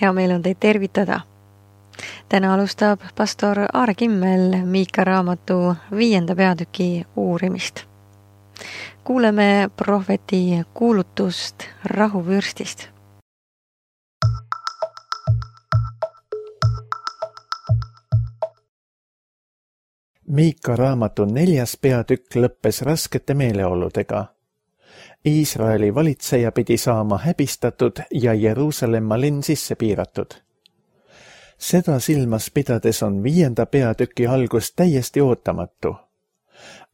Hea meel on teid tervitada. Täna alustab pastor Aare Kimmel Miika raamatu 5. peatüki uurimist. Kuuleme prohveti kuulutust rahuvürstist. Miika raamatu 4. peatükk lõppes raskete meeleoludega. Iisraeli valitseja pidi saama häbistatud ja Jeruusalemma linn sisse piiratud. Seda silmas pidades on 5. peatüki algus täiesti ootamatu.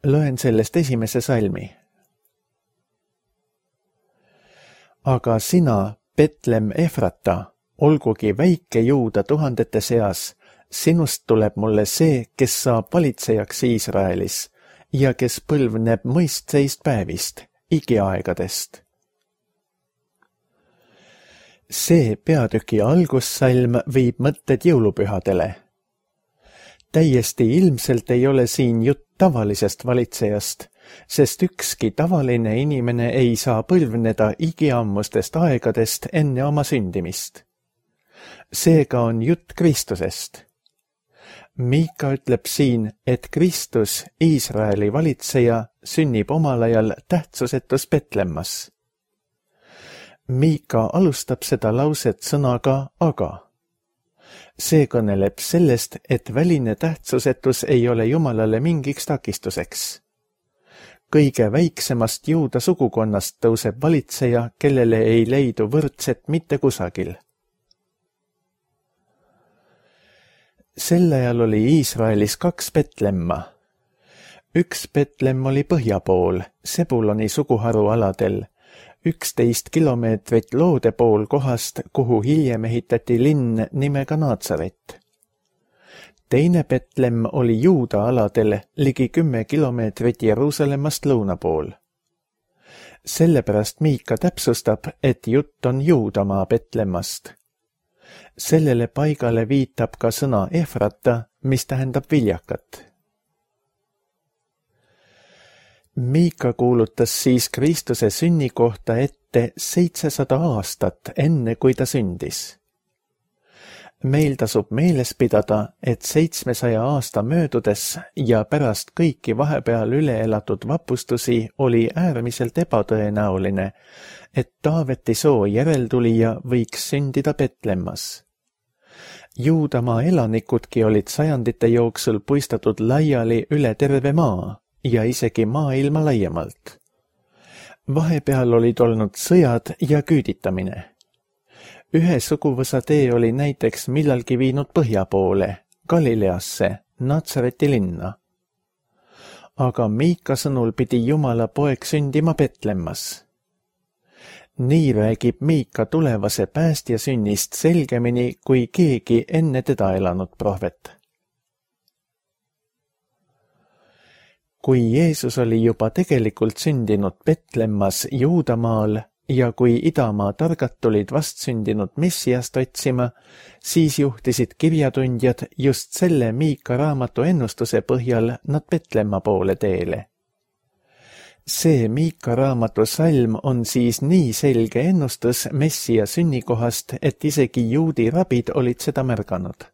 Loen sellest esimese salmi. Aga sina, Betlem Efrata, olgugi väike Juuda tuhandete seas, sinust tuleb mulle see, kes saab valitsejaks Iisraelis ja kes põlvneb mõistseist päevist, igiaegadest. See peatüki algussalm viib mõtted jõulupühadele. Täiesti ilmselt ei ole siin jutt tavalisest valitsejast, sest ükski tavaline inimene ei saa põlvneda igiammustest aegadest enne oma sündimist. Seega on jutt Kristusest. Miika ütleb siin, et Kristus, Iisraeli valitseja, sünnib omal ajal tähtsusetus Betlemmas. Miika alustab seda lauset sõnaga aga. See kõneleb sellest, et väline tähtsusetus ei ole Jumalale mingiks takistuseks. Kõige väiksemast Juuda sugukonnast tõuseb valitseja, kellele ei leidu võrdset mitte kusagil. Sel ajal oli Iisraelis 2 Betlemma. Üks Betlem oli põhja pool, Sebuloni suguharu aladel, 11 kilomeetrit loode pool kohast, kuhu hiljem ehitati linn nimega Naatsaret. Teine Betlem oli Juuda aladel, ligi 10 kilomeetrit Jeruusalemmast lõuna pool. Sellepärast Miika täpsustab, et jutt on Juudamaa Betlemmast. Sellele paigale viitab ka sõna Efrata, mis tähendab viljakat. Miika kuulutas siis Kristuse sünni kohta ette 700 aastat enne, kui ta sündis. Meil tasub meeles pidada, et 700 aasta möödudes ja pärast kõiki vahepeal üle elatud vapustusi oli äärmiselt ebatõenäoline, et Taaveti soo järeltulija võiks sündida Betlemmas. Juudamaa elanikudki olid sajandite jooksul puistatud laiali üle terve maa ja isegi maailma laiemalt. Vahepeal olid olnud sõjad ja küüditamine. Ühe suguvõsa tee oli näiteks millalgi viinud põhja poole, Galileasse, Natsareti linna. Aga Miika sõnul pidi Jumala poeg sündima Betlemmas. Nii räägib Miika tulevase päästja sünnist selgemini kui keegi enne teda elanud prohvet. Kui Jeesus oli juba tegelikult sündinud Betlemmas Juudamaal ja kui idamaa targad tulid vastsündinud Messiast otsima, siis juhtisid kirjatundjad just selle Miika raamatu ennustuse põhjal nad Betlemma poole teele. See Miika raamatu salm on siis nii selge ennustus Messia sünnikohast, et isegi juudi rabid olid seda märganud.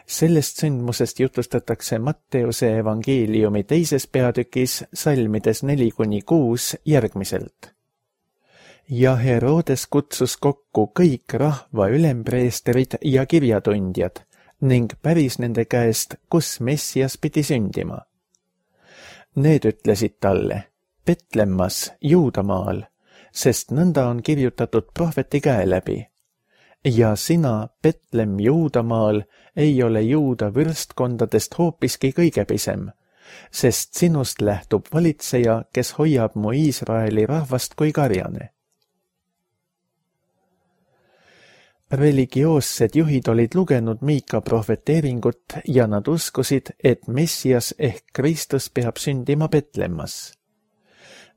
Sellest sündmusest jutustatakse Matteuse evangeeliumi 2. peatükis salmides 4-6 järgmiselt. Ja Herodes kutsus kokku kõik rahva ülempreesterid ja kirjatundjad ning päris nende käest, kus Messias pidi sündima. Need ütlesid talle, Betlemmas, Juudamaal, sest nõnda on kirjutatud prohveti käe läbi. Ja sina, Betlem Juudamaal, ei ole Juuda võrstkondadest hoopiski kõige pisem, sest sinust lähtub valitseja, kes hoiab mu Iisraeli rahvast kui karjane. Religioossed juhid olid lugenud Miika prohveteeringut ja nad uskusid, et Messias ehk Kristus peab sündima Betlemmas.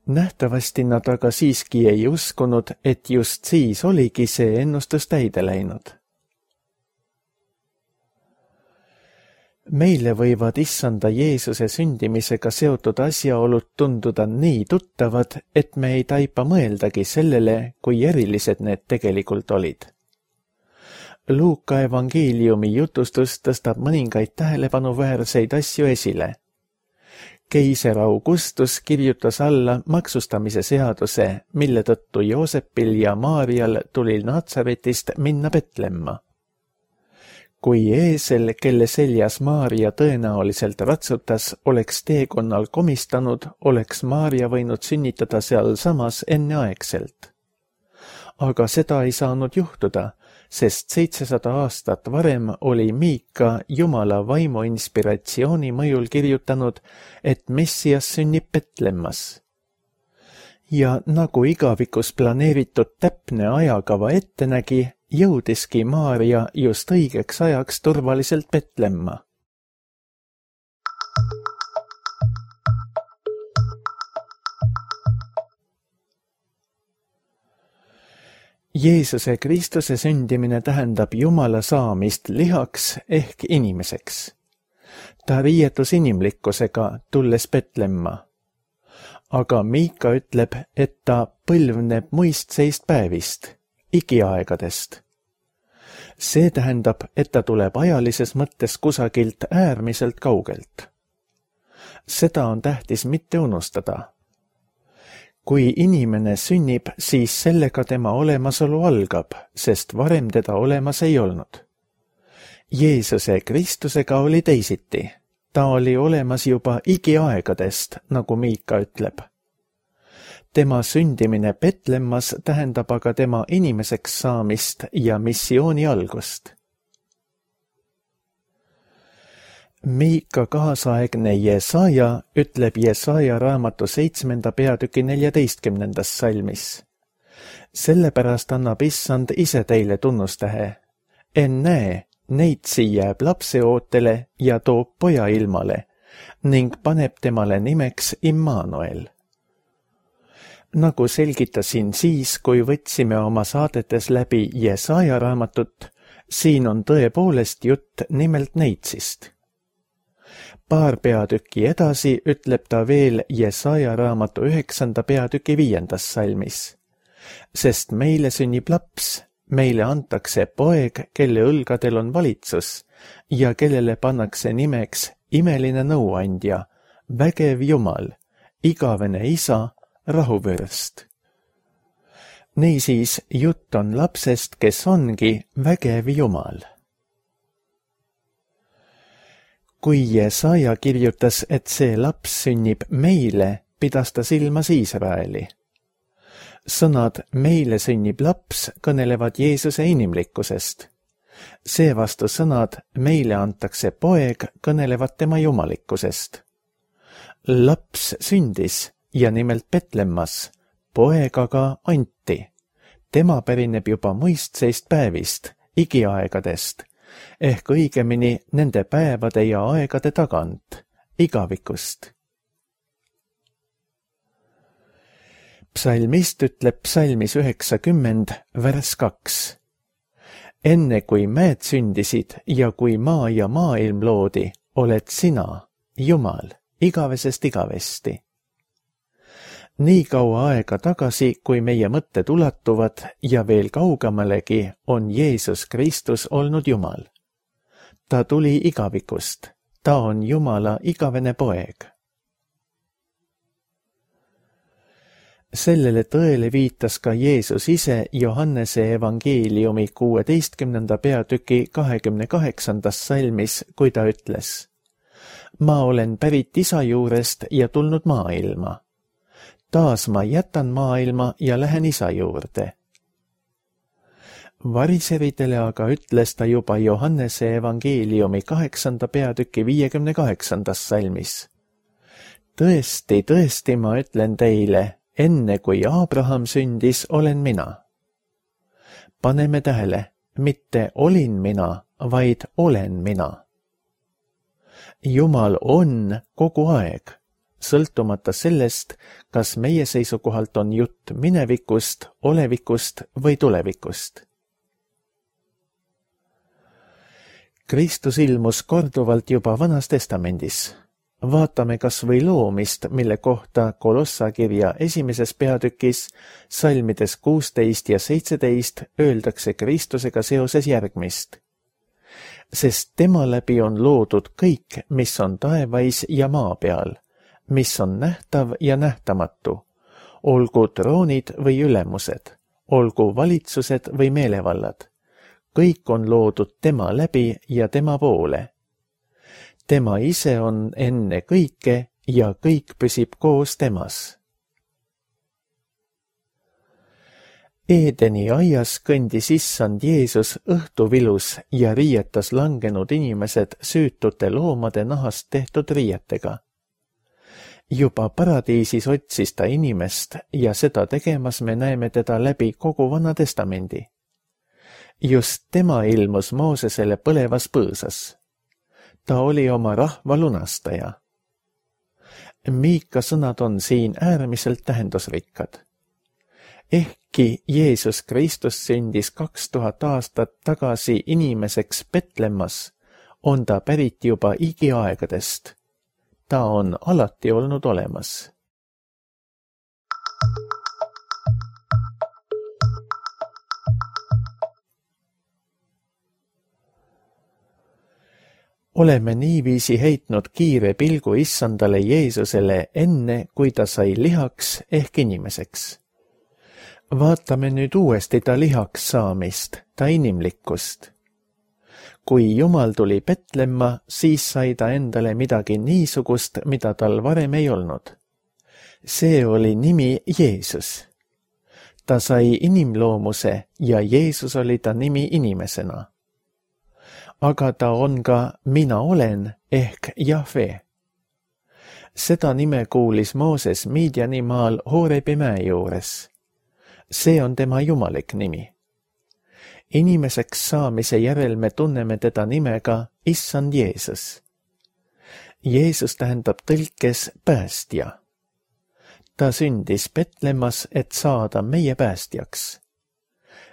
Nähtavasti nad aga siiski ei uskunud, et just siis oligi see ennustus täide läinud. Meile võivad issanda Jeesuse sündimisega seotud asjaolud tunduda nii tuttavad, et me ei taipa mõeldagi sellele, kui erilised need tegelikult olid. Luuka evangeeliumi jutustus tõstab mõningaid tähelepanuväärseid asju esile. Keiser Augustus kirjutas alla maksustamise seaduse, mille tõttu Joosepil ja Maarial tuli Natsaretist minna Petlemma. Kui eesel, kelle seljas Maaria tõenäoliselt ratsutas, oleks teekonnal komistanud, oleks Maaria võinud sünnitada seal samas enneaegselt. Aga seda ei saanud juhtuda, sest 700 aastat varem oli Miika Jumala vaimu inspiratsiooni mõjul kirjutanud, et Messias sünnib Petlemmas. Ja nagu igavikus planeeritud täpne ajakava ette nägi, jõudiski Maaria just õigeks ajaks turvaliselt Petlemma. Jeesuse Kristuse sündimine tähendab Jumala saamist lihaks ehk inimeseks. Ta riietus inimlikkusega, tulles Petlemma. Aga Miika ütleb, et ta põlvneb muistseist päevist, igiaegadest. See tähendab, et ta tuleb ajalises mõttes kusagilt äärmiselt kaugelt. Seda on tähtis mitte unustada. Kui inimene sünnib, siis sellega tema olemasolu algab, sest varem teda olemas ei olnud. Jeesuse Kristusega oli teisiti. Ta oli olemas juba igiaegadest, nagu Miika ütleb. Tema sündimine Petlemmas tähendab aga tema inimeseks saamist ja missiooni algust. Miika kaasaegne Jesaja ütleb Jesaja raamatu 7. peatüki 14. salmis. Sellepärast annab Issand ise teile tunnustähe. Ennäe, neitsi jääb lapseootele ja toob poja ilmale ning paneb temale nimeks Immanuel. Nagu selgitasin siis, kui võtsime oma saadetes läbi Jesaja raamatut, siin on tõepoolest jutt nimelt neitsist. Paar peatükki edasi ütleb ta veel Jesaja raamatu 9. peatüki 5. salmis. Sest meile sünnib laps, meile antakse poeg, kelle õlgadel on valitsus ja kellele pannakse nimeks imeline nõuandja, vägev Jumal, igavene isa, rahuvürst. Niisiis, jutt on lapsest, kes ongi vägev Jumal. Kui Jesaja kirjutas, et see laps sünnib meile, pidas ta silmas Iisraeli. Sõnad meile sünnib laps kõnelevad Jeesuse inimlikkusest. Seevastu sõnad meile antakse poeg kõnelevad tema jumalikkusest. Laps sündis ja nimelt Petlemmas, poeg aga anti. Tema pärineb juba muistseist päevist, igiaegadest, ehk õigemini nende päevade ja aegade tagant, igavikust. Psalmist ütleb psalmis 90, vers 2. Enne kui mäed sündisid ja kui maa ja maailm loodi, oled sina, Jumal, igavesest igavesti. Nii kaua aega tagasi, kui meie mõtted ulatuvad ja veel kaugemalegi, on Jeesus Kristus olnud Jumal. Ta tuli igavikust, ta on Jumala igavene poeg. Sellele tõele viitas ka Jeesus ise Johannese evangeeliumi 16. peatüki 28. salmis, kui ta ütles: Ma olen pärit isa juurest ja tulnud maailma. Taas ma jätan maailma ja lähen isa juurde. Variseridele aga ütles ta juba Johannese evangeeliumi 8. peatüki 58. salmis. Tõesti, tõesti, ma ütlen teile, enne kui Abraham sündis, olen mina. Paneme tähele, mitte olin mina, vaid olen mina. Jumal on kogu aeg, sõltumata sellest, kas meie seisukohalt on jutt minevikust, olevikust või tulevikust. Kristus ilmus korduvalt juba Vanas Testamendis. Vaatame kas või loomist, mille kohta Kolossa kirja 1. peatükis salmides 16 ja 17 öeldakse Kristusega seoses järgmist. Sest tema läbi on loodud kõik, mis on taevais ja maa peal, mis on nähtav ja nähtamatu, olgu troonid või ülemused, olgu valitsused või meelevallad. Kõik on loodud tema läbi ja tema poole. Tema ise on enne kõike ja kõik püsib koos temas. Eedeni aias kõndis issand Jeesus õhtuvilus ja riietas langenud inimesed süütute loomade nahast tehtud riietega. Juba paradiisis otsis ta inimest ja seda tegemas me näeme teda läbi kogu Vana Testamendi. Just tema ilmus Moosesele põlevas põõsas. Ta oli oma rahva lunastaja. Miika sõnad on siin äärmiselt tähendusrikkad. Ehkki Jeesus Kristus sündis 2000 aastat tagasi inimeseks Betlemmas, on ta pärit juba igiaegadest. Ta on alati olnud olemas. Oleme niiviisi heitnud kiire pilgu issandale Jeesusele enne, kui ta sai lihaks ehk inimeseks. Vaatame nüüd uuesti ta lihaks saamist, ta inimlikkust. Kui Jumal tuli Betlemma, siis sai ta endale midagi niisugust, mida tal varem ei olnud. See oli nimi Jeesus. Ta sai inimloomuse ja Jeesus oli ta nimi inimesena. Aga ta on ka mina olen ehk Jahve. Seda nime kuulis Mooses Midianimaal Horebi mäe juures. See on tema jumalik nimi. Inimeseks saamise järel me tunneme teda nimega Issand Jeesus. Jeesus tähendab tõlkes päästja. Ta sündis Betlemmas, et saada meie päästjaks.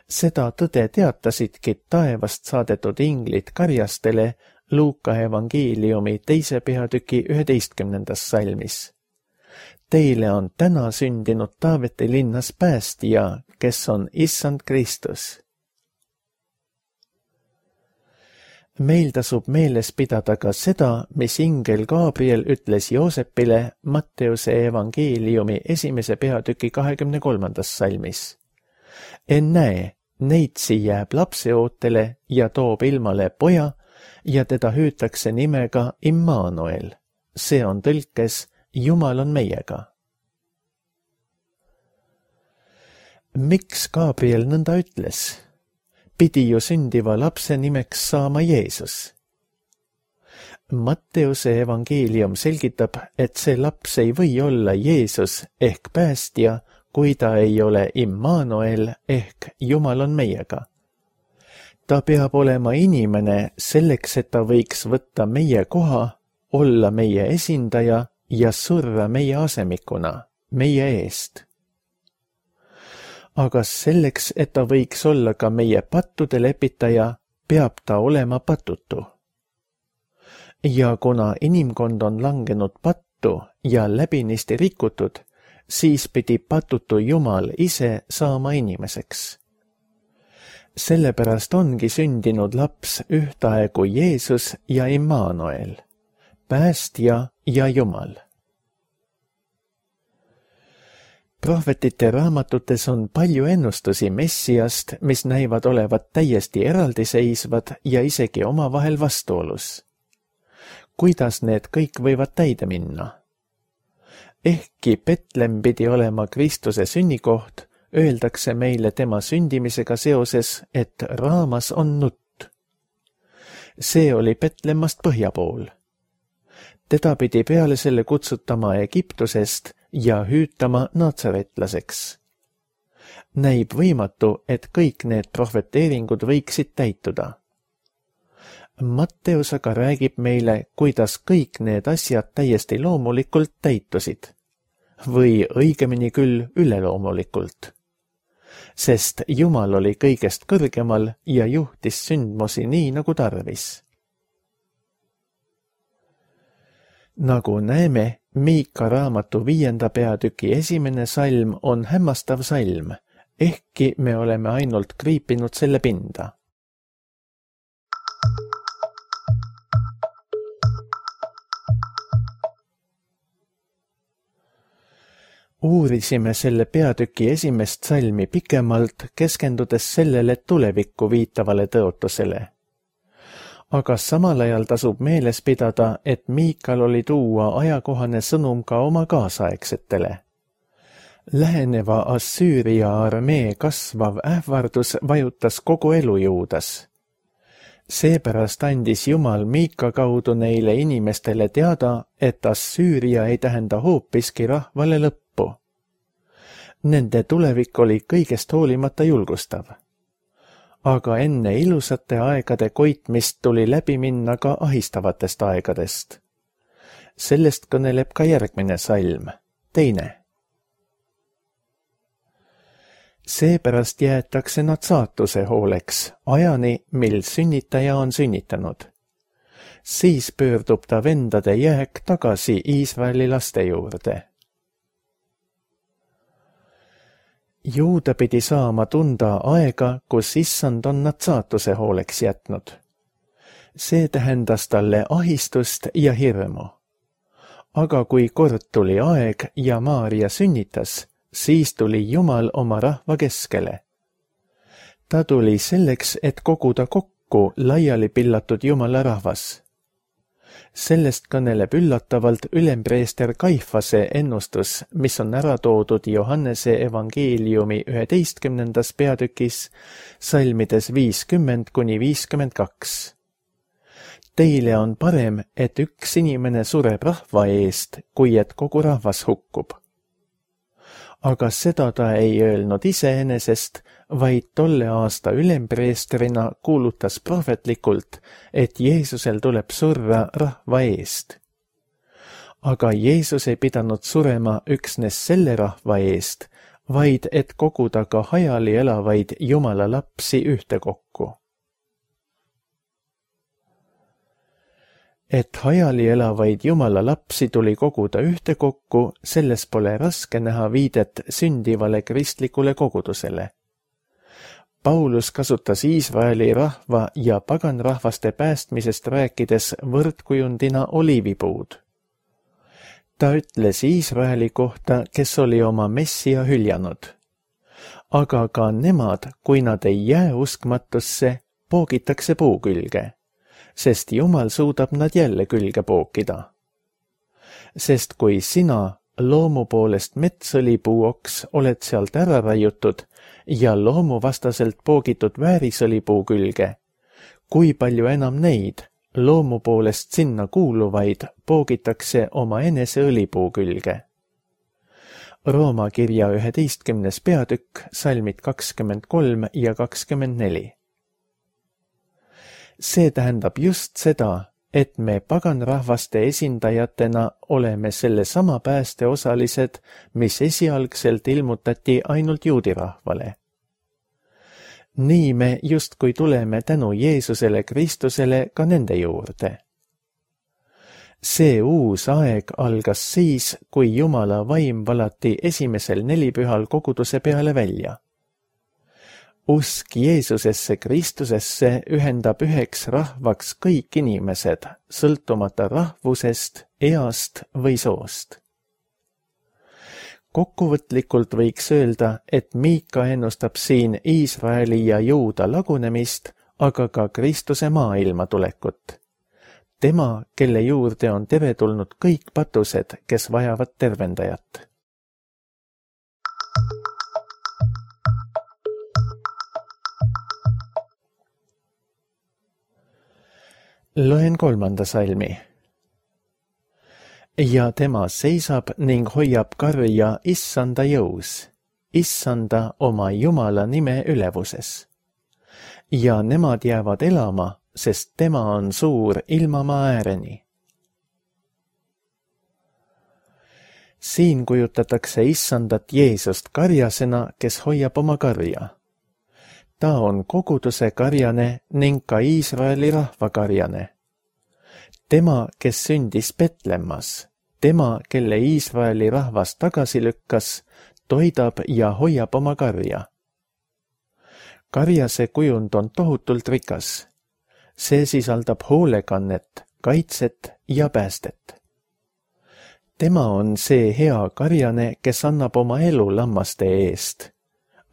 Seda tõde teatasidki taevast saadetud inglid karjastele Luuka evangeeliumi 2. peatüki 11. salmis. Teile on täna sündinud Taaveti linnas päästja, kes on Issand Kristus. Meil tasub meeles pidada ka seda, mis ingel Gabriel ütles Joosepile Matteuse evangeeliumi 1. peatüki 23. salmis. Ennäe, neitsi jääb lapseootele ja toob ilmale poja ja teda hüütakse nimega Immanuel. See on tõlkes Jumal on meiega. Miks Gabriel nõnda ütles? Pidi ju sündiva lapse nimeks saama Jeesus. Matteuse evangeelium selgitab, et see laps ei või olla Jeesus ehk päästja, kui ta ei ole Immanuel ehk Jumal on meiega. Ta peab olema inimene selleks, et ta võiks võtta meie koha, olla meie esindaja ja surra meie asemikuna, meie eest. Aga selleks, et ta võiks olla ka meie pattude lepitaja, peab ta olema patutu. Ja kuna inimkond on langenud pattu ja läbinisti rikutud, siis pidi patutu Jumal ise saama inimeseks. Sellepärast ongi sündinud laps ühtaegu Jeesus ja Immanuel, päästja ja Jumal. Prohvetite raamatutes on palju ennustusi Messiast, mis näivad olevat täiesti eraldiseisvad ja isegi omavahel vastuolus. Kuidas need kõik võivad täide minna? Ehkki Betlem pidi olema Kristuse sünnikoht, öeldakse meile tema sündimisega seoses, et raamas on nutt. See oli Betlemmast põhja pool. Teda pidi peale selle kutsutama Egiptusest ja hüütama natsaretlaseks. Näib võimatu, et kõik need prohveteeringud võiksid täituda. Matteus aga räägib meile, kuidas kõik need asjad täiesti loomulikult täitusid. Või õigemini küll üleloomulikult. Sest Jumal oli kõigest kõrgemal ja juhtis sündmusi nii nagu tarvis. Nagu näeme, Miika raamatu 5. peatüki 1. salm on hämmastav salm, ehkki me oleme ainult kriipinud selle pinda. Uurisime selle peatüki 1. salmi pikemalt, keskendudes sellele tulevikku viitavale tõotusele. Aga samal ajal tasub meeles pidada, et Miikal oli tuua ajakohane sõnum ka oma kaasaegsetele. Läheneva Assüüria armee kasvav ähvardus vajutas kogu elu Juudas. Seepärast andis Jumal Miika kaudu neile inimestele teada, et Assüüria ei tähenda hoopiski rahvale lõppu. Nende tulevik oli kõigest hoolimata julgustav. Aga enne ilusate aegade koitmist tuli läbi minna ka ahistavatest aegadest. Sellest kõneleb ka järgmine salm, 2. Seepärast jäetakse nad saatuse hooleks, ajani, mil sünnitaja on sünnitanud. Siis pöördub ta vendade jääk tagasi Iisraeli laste juurde. Juuda pidi saama tunda aega, kus issand on nad saatuse hooleks jätnud. See tähendas talle ahistust ja hirmu. Aga kui kord tuli aeg ja Maaria sünnitas, siis tuli Jumal oma rahva keskele. Ta tuli selleks, et koguda kokku laiali pillatud Jumala rahvas. Sellest kõneleb üllatavalt ülempreester Kaifase ennustus, mis on ära toodud Johannese evangeeliumi 11. peatükis, salmides 50–52. Teile on parem, et üks inimene sureb rahva eest, kui et kogu rahvas hukkub. Aga seda ta ei öelnud iseenesest, vaid tolle aasta ülempreestrina kuulutas prohvetlikult, et Jeesusel tuleb surra rahva eest. Aga Jeesus ei pidanud surema üksnes selle rahva eest, vaid et koguda ka hajali elavaid Jumala lapsi ühtekokku. Et hajali elavaid Jumala lapsi tuli koguda ühtekokku, selles pole raske näha viidet sündivale kristlikule kogudusele. Paulus kasutas Iisraeli rahva ja paganrahvaste päästmisest rääkides võrdkujundina oliivipuud. Ta ütles Iisraeli kohta, kes oli oma messia hüljanud. Aga ka nemad, kui nad ei jää uskmatusse, poogitakse puu külge, sest Jumal suudab nad jälle külge pookida. Sest kui sina, loomu poolest metsõlipuuoks, oled sealt ära raiutud ja loomuvastaselt poogitud väärisõlipuu külge, kui palju enam neid, loomu poolest sinna kuuluvaid, poogitakse oma enese õlipuu külge. Rooma kirja 11. peatükk, salmid 23 ja 24. See tähendab just seda, et me paganrahvaste esindajatena oleme selle sama pääste osalised, mis esialgselt ilmutati ainult juudirahvale. Nii me justkui tuleme tänu Jeesusele Kristusele ka nende juurde. See uus aeg algas siis, kui Jumala vaim valati esimesel nelipühal koguduse peale välja. Usk Jeesusesse Kristusesse ühendab üheks rahvaks kõik inimesed, sõltumata rahvusest, east või soost. Kokkuvõtlikult võiks öelda, et Miika ennustab siin Iisraeli ja Juuda lagunemist, aga ka Kristuse maailma tulekut. Tema, kelle juurde on teretulnud kõik patused, kes vajavad tervendajat. Loen 3. salmi. Ja tema seisab ning hoiab karja issanda jõus, issanda oma Jumala nime ülevuses. Ja nemad jäävad elama, sest tema on suur ilmamaa ääreni. Siin kujutatakse issandat Jeesust karjasena, kes hoiab oma karja. Ta on koguduse karjane ning ka Iisraeli rahva karjane. Tema, kes sündis Betlemmas, tema, kelle Iisraeli rahvas tagasi lükkas, toidab ja hoiab oma karja. Karjase kujund on tohutult rikas. See sisaldab hoolekannet, kaitset ja päästet. Tema on see hea karjane, kes annab oma elu lammaste eest.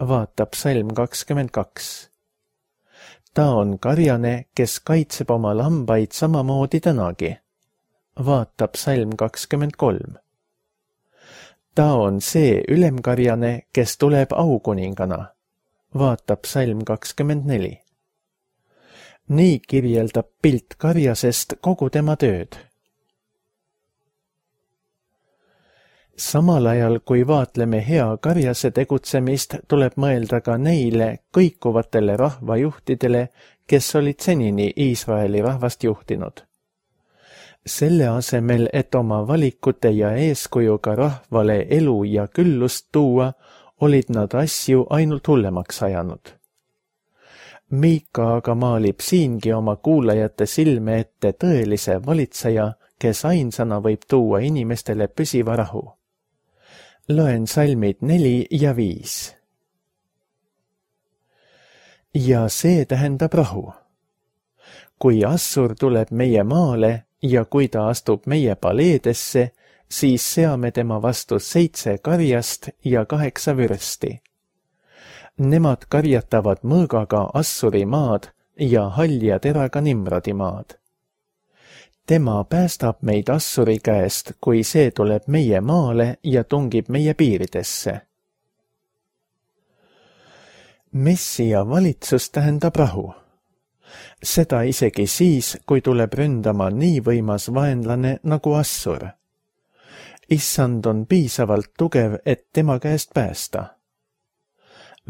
Vaata psalm 22. Ta on karjane, kes kaitseb oma lambaid samamoodi tänagi. Vaata psalm 23. Ta on see ülemkarjane, kes tuleb aukuningana. Vaata psalm 24. Nii kirjeldab pilt karjasest kogu tema tööd. Samal ajal, kui vaatleme hea karjase tegutsemist, tuleb mõelda ka neile kõikuvatele rahvajuhtidele, kes olid senini Iisraeli rahvast juhtinud. Selle asemel, et oma valikute ja eeskujuga rahvale elu ja küllust tuua, olid nad asju ainult hullemaks ajanud. Miika aga maalib siingi oma kuulajate silme ette tõelise valitseja, kes ainsana võib tuua inimestele püsiva rahu. Loen salmid 4 ja 5. Ja see tähendab rahu. Kui Assur tuleb meie maale ja kui ta astub meie paleedesse, siis seame tema vastu 7 karjast ja 8 vürsti. Nemad karjatavad mõõgaga Assuri maad ja halja teraga Nimrodi maad. Tema päästab meid Assuri käest, kui see tuleb meie maale ja tungib meie piiridesse. Messia valitsus tähendab rahu. Seda isegi siis, kui tuleb ründama nii võimas vaenlane nagu Assur. Issand on piisavalt tugev, et tema käest päästa.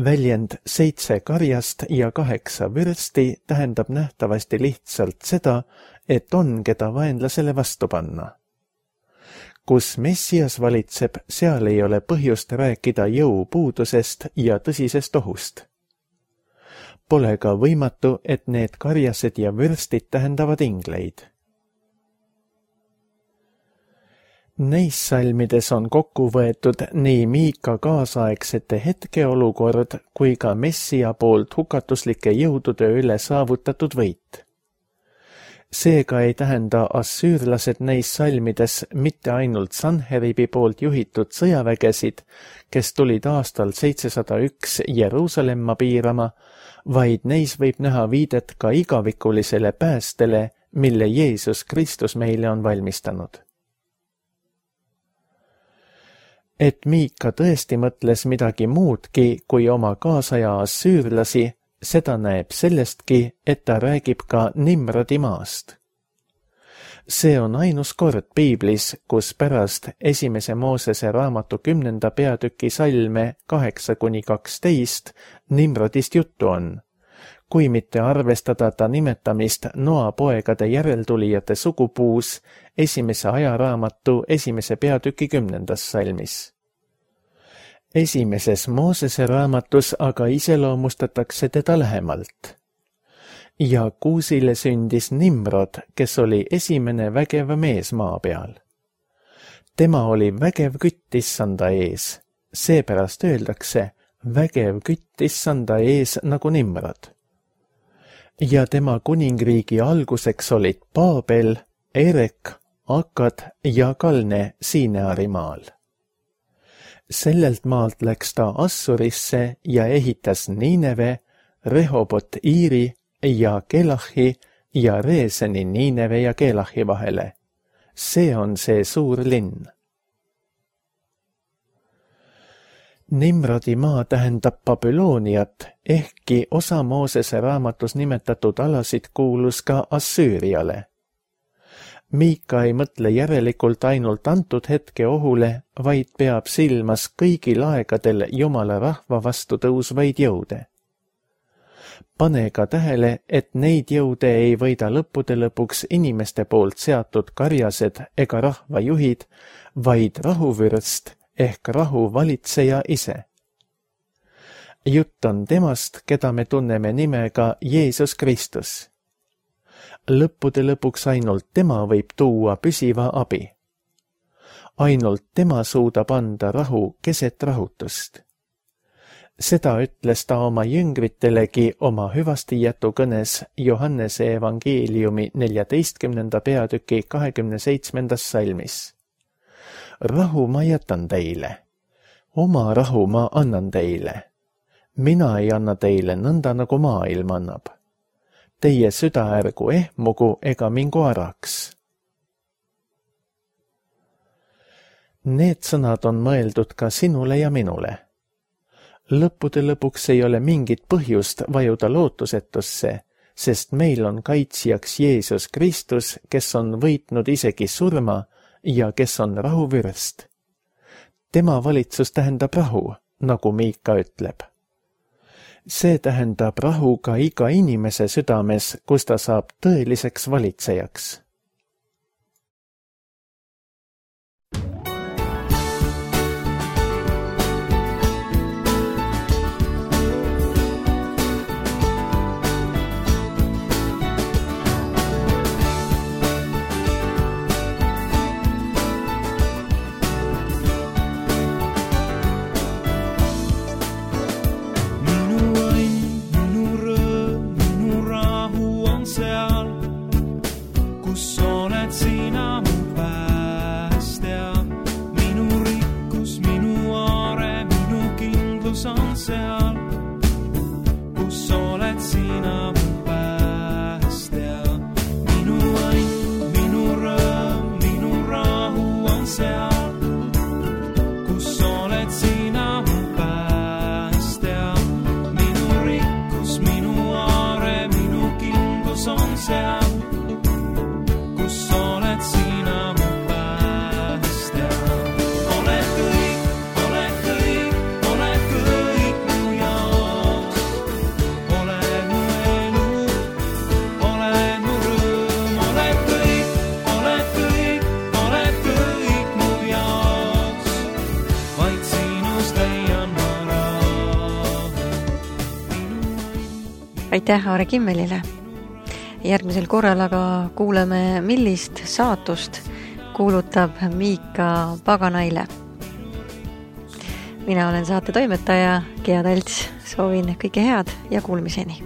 Väljend 7 karjast ja 8 vürsti tähendab nähtavasti lihtsalt seda, et on, keda vaenlasele vastu panna. Kus Messias valitseb, seal ei ole põhjust rääkida jõupuudusest ja tõsisest ohust. Pole ka võimatu, et need karjased ja vürstid tähendavad ingleid. Neis salmides on kokku võetud nii Miika kaasaegsete hetkeolukord kui ka Messia poolt hukatuslike jõudude üle saavutatud võit. Seega ei tähenda assüürlased neis salmides mitte ainult Sanheribi poolt juhitud sõjavägesid, kes tulid aastal 701 Jeruusalemma piirama, vaid neis võib näha viidet ka igavikulisele päästele, mille Jeesus Kristus meile on valmistanud. Et Miika tõesti mõtles midagi muudki kui oma kaasaja assüürlasi, seda näeb sellestki, et ta räägib ka Nimrodi maast. See on ainus kord piiblis, kus pärast 1. Moosese raamatu 10. peatüki salme 8-12 Nimrodist juttu on, kui mitte arvestada ta nimetamist Noa poegade järeltulijate sugupuus 1. ajaraamatu 1. peatüki 10. salmis. 1. Moosese raamatus aga iseloomustatakse teda lähemalt. Ja Kuusile sündis Nimrod, kes oli esimene vägev mees maa peal. Tema oli vägev kütt issanda ees, seepärast öeldakse vägev kütt issanda ees nagu Nimrod. Ja tema kuningriigi alguseks olid Paabel, Erek, Akkad ja Kalne Siineari maal. Sellelt maalt läks ta Assurisse ja ehitas Niineve, Rehobot Iiri ja Kelahi ja Reeseni Niineve ja Kelahi vahele. See on see suur linn. Nimrodi maa tähendab Babyloniat, ehkki osa Moosese raamatus nimetatud alasid kuulus ka Assüüriale. Miika ei mõtle järelikult ainult antud hetke ohule, vaid peab silmas kõigil aegadel Jumala rahva vastu tõusvaid jõude. Pane ka tähele, et neid jõude ei võida lõppude lõpuks inimeste poolt seatud karjased ega rahvajuhid, vaid rahuvürst ehk rahuvalitseja ise. Jutt on temast, keda me tunneme nimega Jeesus Kristus. Lõppude lõpuks ainult tema võib tuua püsiva abi. Ainult tema suudab anda rahu keset rahutust. Seda ütles ta oma jüngritelegi oma hüvastijätu kõnes Johannese evangeeliumi 14. peatüki 27. salmis. Rahu ma jätan teile. Oma rahu ma annan teile. Mina ei anna teile nõnda, nagu maailm annab. Teie süda ärgu ehmugu ega mingu araks. Need sõnad on mõeldud ka sinule ja minule. Lõppude lõpuks ei ole mingit põhjust vajuda lootusetusse, sest meil on kaitsjaks Jeesus Kristus, kes on võitnud isegi surma ja kes on rahuvürst. Tema valitsus tähendab rahu, nagu Miika ütleb. See tähendab rahu ka iga inimese südames, kus ta saab tõeliseks valitsejaks. Aitäh Aare Kimmelile. Järgmisel korral aga kuuleme, millist saatust kuulutab Miika paganaile. Mina olen saate toimetaja Gea Talts. Soovin kõike head ja kuulmiseni.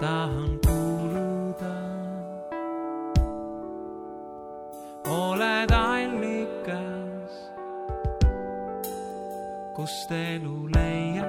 Tahan kuuluda, oled allikas, kust elu leiab.